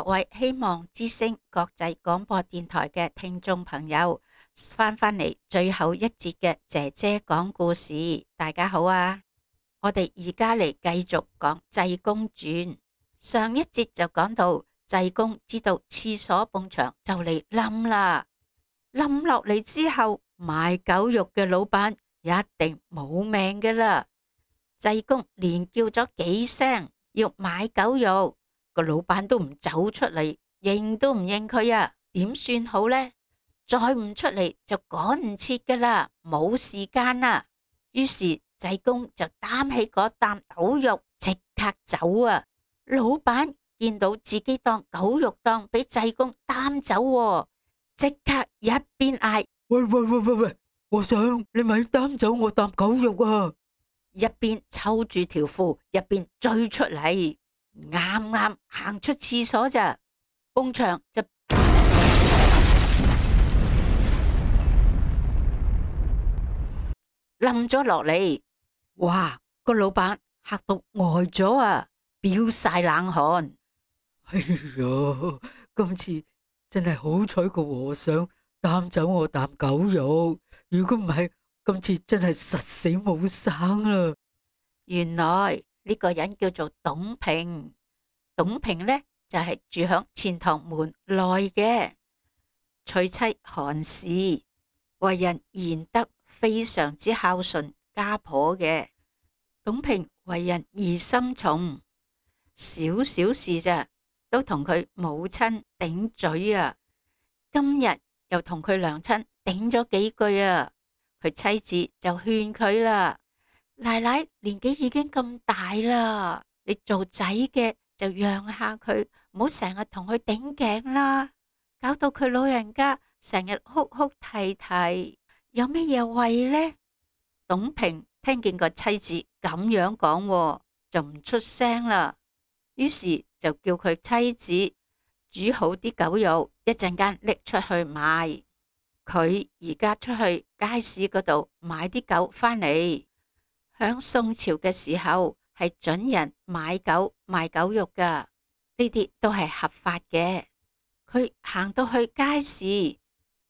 各位希望之聲國際廣播電台嘅聽眾朋友，翻嚟最後一節嘅姐姐講故事。大家好啊！我哋而家嚟繼續講濟公傳。上一節就講到濟公知道廁所埲牆就嚟冧啦，冧落嚟之後，賣狗肉嘅老闆一定冇命㗎啦。濟公連叫咗幾聲要買狗肉，個老闆都唔走出嚟，認都唔認佢啊！點算好呢？再唔出嚟就趕唔切㗎啦，冇時間啦。於是濟公就擔起嗰擔狗肉即刻走啊！老闆見到自己當狗肉檔俾濟公擔走，即刻一邊嗌：喂，和尚，你咪擔走我擔狗肉啊！一邊抽住條褲，一邊追出嚟，啱啱行出廁所咋，埲牆就冧咗落嚟。哇！個老闆嚇到呆咗啊，飆晒冷汗。哎呀，今次真係好彩個和尚擔走我啖狗肉，如果唔係，今次真係實死冇生啦。原來呢個人叫做董平，董平呢就係住響錢塘門內嘅，娶妻韓氏，為人賢德，非常之孝順家婆嘅。董平為人疑心重，少少事咋都同佢母親頂嘴啊！今日又同佢娘親頂咗幾句啊！佢妻子就勸佢啦：奶奶年紀已經咁大啦，你做仔嘅就讓下佢，唔好成日同佢頂頸啦，搞到佢老人家成日哭哭啼啼，有咩嘢為呢？董平聽見個妻子咁樣講，就唔出聲啦。於是就叫佢妻子煮好啲狗肉，一陣間拎出去賣。佢而家出去街市嗰度買啲狗返嚟。響宋朝嘅時候係准人買狗賣狗肉噶，呢啲都係合法嘅。佢行到去街市，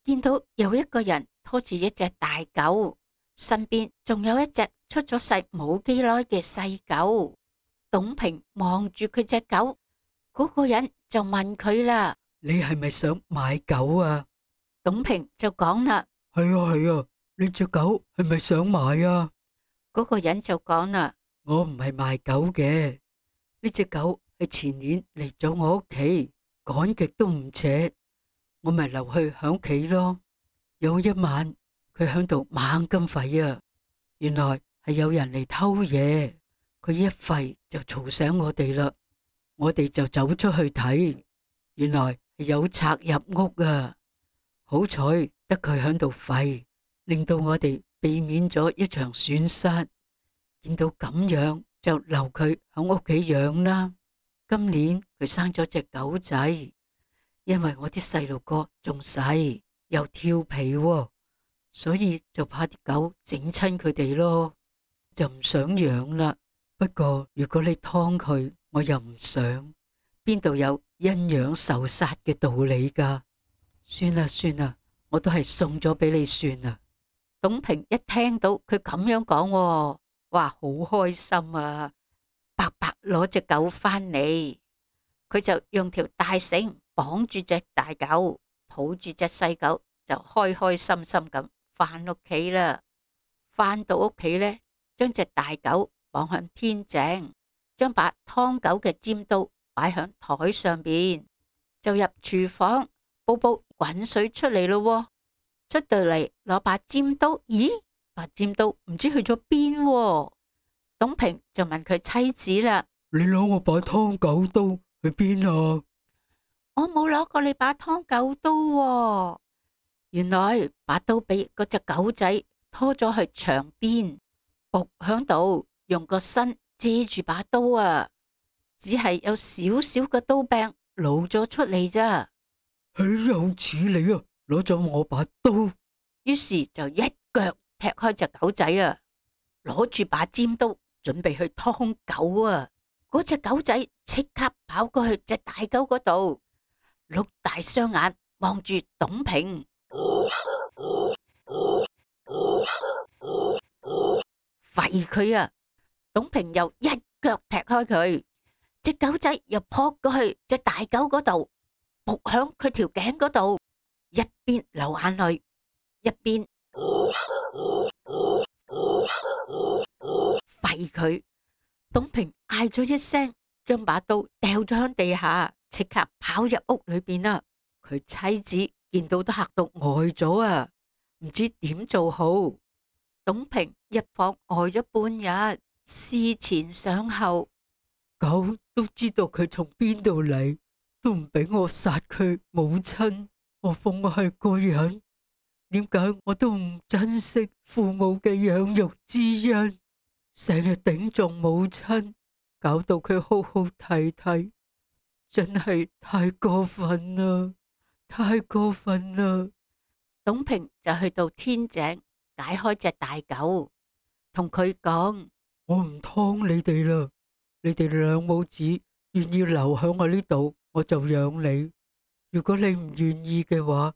見到有一個人拖住一隻大狗，身邊仲有一隻出咗世冇幾耐嘅細狗。董平望住佢隻狗，嗰個人就問佢啦：你係咪想買狗啊？董平就講啦：係啊，你隻狗係咪想買啊？嗰個人就講啦：我唔係賣狗嘅，呢隻狗係前年嚟咗我屋企，趕極都唔扯，我咪留去響屋企咯。有一晚佢響度猛咁吠啊，原來係有人嚟偷嘢，佢一吠就嘈醒我哋啦，我哋就走出去睇，原來係有賊入屋啊！好彩得佢響度吠，令到我哋避免咗一場損失。見到咁樣就留佢響屋企養啦。今年佢生咗隻狗仔，因為我啲細路哥仲細又調皮所以就怕啲狗整親佢哋咯，就唔想養啦。不過如果你劏佢，我又唔想，邊度有因養受殺嘅道理噶？算啦，我都係送咗俾你算啦。董平一聽到佢咁樣講，哇，好開心啊！白白攞隻狗返嚟，佢就用條大繩綁住隻大狗，抱住隻細狗，就開開心心咁返屋企啦。返到屋企呢，將隻大狗綁向天井，將把劏狗嘅尖刀擺響台上邊，就入廚房煲煲滾水出嚟咯。出到嚟攞把尖刀，咦？把尖刀唔知去咗邊？董平就問佢妻子啦：你攞我把劏狗刀去邊啊？我冇攞過你把劏狗刀。原來把刀俾嗰隻狗仔拖咗去牆邊，伏響度，用個身遮住把刀啊，只係有少少嘅刀柄露咗出嚟咋。有似你啊，攞咗我把刀。於是就一腳踢開隻狗仔啊，攞住把尖刀準備去劏狗啊。嗰隻狗仔即刻跑過去隻大狗嗰度，碌大雙眼望住董平，吠佢啊！董平又一腳踢開佢，隻狗仔又撲過去隻大狗嗰度，撲響佢條頸嗰度，一邊流眼淚，一邊吠佢。董平嗌咗一聲，將把刀掉咗響地下，即刻跑入屋裏邊啦。佢妻子見到都嚇到呆咗啊，唔知點做好。董平一晃呆咗半日，思前想後，狗都知道佢從邊度嚟，都唔俾我殺佢母親，何況我係個人，點解我都唔珍惜父母嘅養育之恩，成日頂撞母親，搞到佢哭哭啼啼，真係太過分啦，太過分啦！董平就去到天井解開隻大狗，同佢講：我唔劏你哋啦，你哋兩母子願意留喺我呢度，我就養你。如果你唔願意嘅話，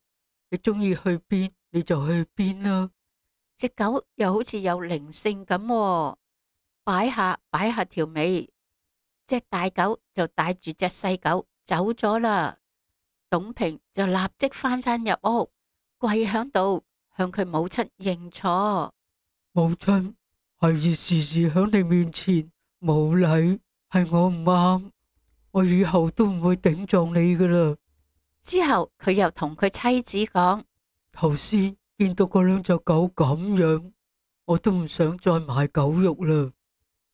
你中意去邊你就去邊啦。隻狗又好似有靈性咁喎，擺下條尾，隻大狗就帶住隻細狗走咗啦。董平就立即翻入屋，跪響度向佢母親認錯。母親，孩兒時時響你面前無禮，係我唔啱，我以後都唔會頂撞你噶啦。之後佢又同佢妻子講：頭先見到嗰兩隻狗咁樣，我都唔想再買狗肉啦。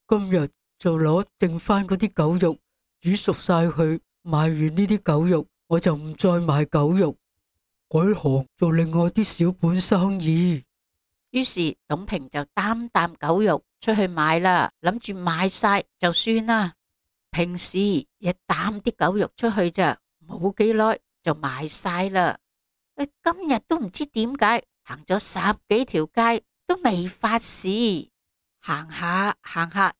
今日就攞剩翻嗰啲狗肉煮熟晒佢，賣完呢啲狗肉我就唔再賣狗肉，改行做另外啲小本生意。於是董平就擔狗肉出去賣啦，諗住賣晒就算啦。平時一擔啲狗肉出去咋，冇幾耐就賣晒啦。今日都唔知點解行咗10幾條街都未發事，行下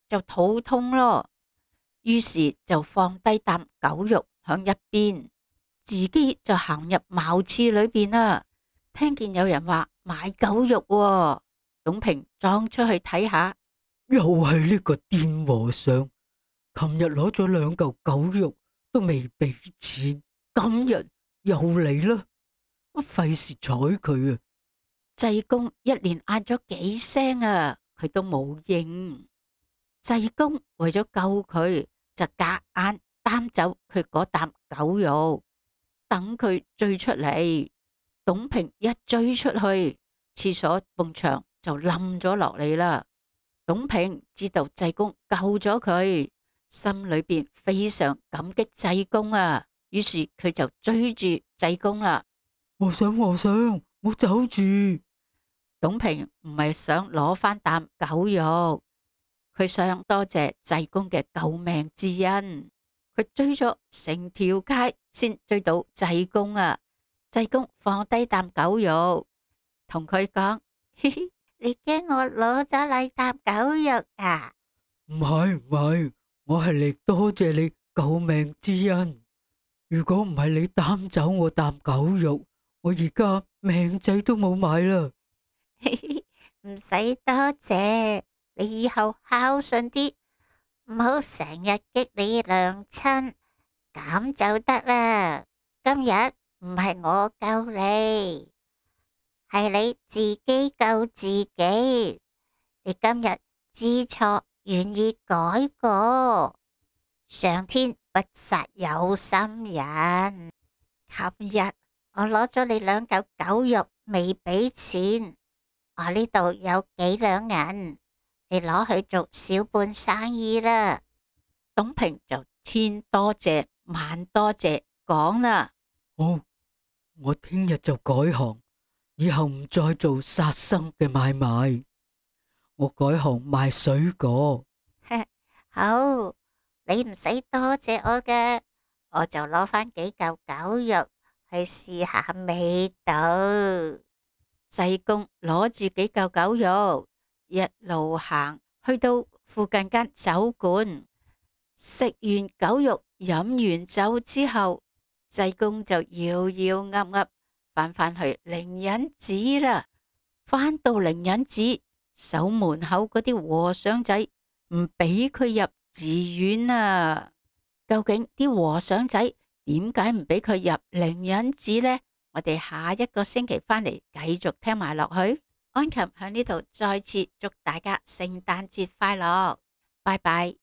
就肚痛咯。於是就放低擔狗肉響一邊，自己就行入茅廁裏邊啦。聽見有人話買狗肉喎，董平裝出去睇下，又係呢個癲和尚，琴日攞咗2嚿狗肉都未俾錢，今日又嚟啦，我費事睬佢啊！濟公一連嗌咗幾聲啊，佢都冇應。濟公為咗救佢，就夾硬擔走佢嗰擔狗肉，等佢追出嚟。董平一追出去，廁所埲牆就冧咗落嚟啦。董平知道濟公救咗佢，心裏邊非常感激濟公啊。於是佢就追住濟公啦。和尚，冇走住！董平唔係想攞翻擔狗肉，佢想多謝濟公嘅救命之恩。佢追咗成條街先追到濟公啊！濟公放低擔狗肉，同佢講：嘻嘻，你驚我攞咗你擔狗肉啊？唔係，我係嚟多謝你救命之恩。如果唔係你擔走我擔狗肉，我而家命仔都冇買啦。唔使多謝，你以後孝順啲，唔好成日激你娘親，咁就得啦。今日唔係我救你，係你自己救自己。你今日知錯，願意改過，上天不殺有心人。琴日我攞咗你2嚿狗肉未俾錢，我呢度有幾兩銀，你攞去做小本生意啦。董平就千多謝萬多謝講啦。好，我聽日就改行，以後唔再做殺生嘅買賣，我改行賣水果。好，你唔使多謝我嘅，我就攞翻幾嚿狗肉去試下味道。濟公攞住幾嚿狗肉，一路行去到附近間酒館，食完狗肉，飲完酒之後，濟公就搖搖噏噏返去靈隱寺啦。返到靈隱寺，守門口嗰啲和尚仔唔俾佢入寺院啊！究竟啲和尚仔點解唔俾佢入靈隱寺呢？我哋下一個星期返嚟繼續聽埋落去。安琴喺呢度再次祝大家聖誕節快樂，拜拜。